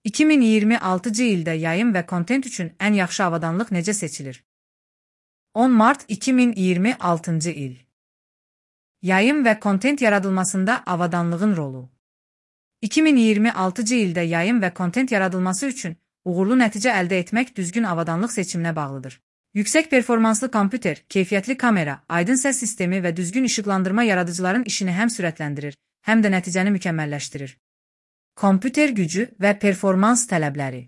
2026-cı ildə yayım və kontent üçün ən yaxşı avadanlıq necə seçilir? 10 mart 2026-cı il. Yayım və kontent yaradılmasında avadanlığın rolu. 2026-cı ildə yayım və kontent yaradılması üçün uğurlu nəticə əldə etmək düzgün avadanlıq seçiminə bağlıdır. Yüksək performanslı kompüter, keyfiyyətli kamera, aydın səs sistemi və düzgün işıqlandırma yaradıcıların işini həm sürətləndirir, həm də nəticəni mükəmməlləşdirir. Kompüter gücü və performans tələbləri.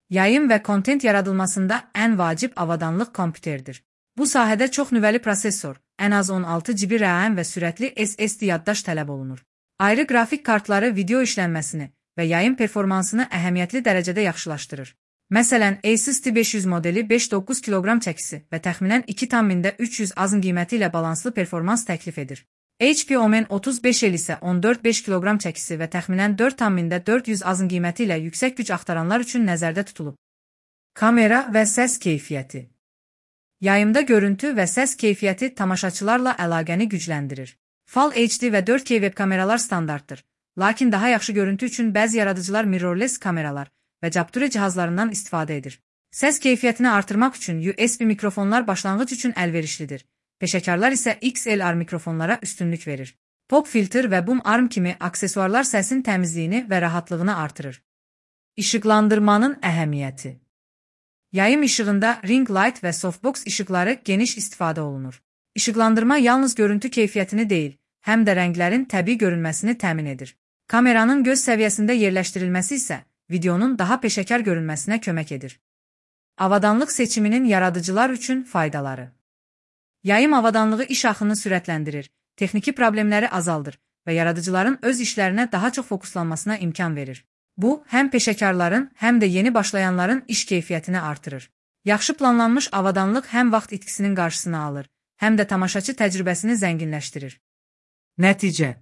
Yayım və kontent yaradılmasında ən vacib avadanlıq kompüterdir. Bu sahədə çox nüvəli prosesor, ən az 16 GB RAM və sürətli SSD yaddaş tələb olunur. Ayrı qrafik kartları video işlənməsini və yayım performansını əhəmiyyətli dərəcədə yaxşılaşdırır. Məsələn, Asus T500 modeli 5-9 kq çəkisi və təxminən 2,300 azın qiyməti ilə balanslı performans təklif edir. HP Omen 35L isə 14-5 kq çəkisi və təxminən 4,400 azın qiyməti ilə yüksək güc axtaranlar üçün nəzərdə tutulub. Kamera və səs keyfiyyəti. Yayımda görüntü və səs keyfiyyəti tamaşaçılarla əlaqəni gücləndirir. Full HD və 4K web kameralar standartdır, lakin daha yaxşı görüntü üçün bəzi yaradıcılar mirrorless kameralar və Capture cihazlarından istifadə edir. Səs keyfiyyətini artırmaq üçün USB mikrofonlar başlanğıc üçün əlverişlidir. Peşəkarlar isə XLR mikrofonlara üstünlük verir. Pop filter və boom arm kimi aksesuarlar səsin təmizliyini və rahatlığını artırır. İşıqlandırmanın əhəmiyyəti. Yayım işığında ring light və softbox işıqları geniş istifadə olunur. İşıqlandırma yalnız görüntü keyfiyyətini deyil, həm də rənglərin təbii görünməsini təmin edir. Kameranın göz səviyyəsində yerləşdirilməsi isə videonun daha peşəkar görünməsinə kömək edir. Avadanlıq seçiminin yaradıcılar üçün faydaları. Yayım avadanlığı iş axını sürətləndirir, texniki problemləri azaldır və yaradıcıların öz işlərinə daha çox fokuslanmasına imkan verir. Bu, həm peşəkarların, həm də yeni başlayanların iş keyfiyyətini artırır. Yaxşı planlanmış avadanlıq həm vaxt itkisinin qarşısını alır, həm də tamaşaçı təcrübəsini zənginləşdirir. Nəticə.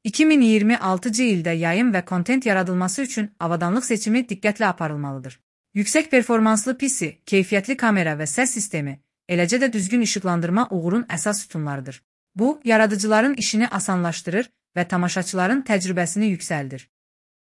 2026-cı ildə yayım və kontent yaradılması üçün avadanlıq seçimi diqqətlə aparılmalıdır. Yüksək performanslı PC, keyfiyyətli kamera və səs sistemi, eləcə də düzgün işıqlandırma uğurun əsas sütunlarıdır. Bu, yaradıcıların işini asanlaşdırır və tamaşaçıların təcrübəsini yüksəldir.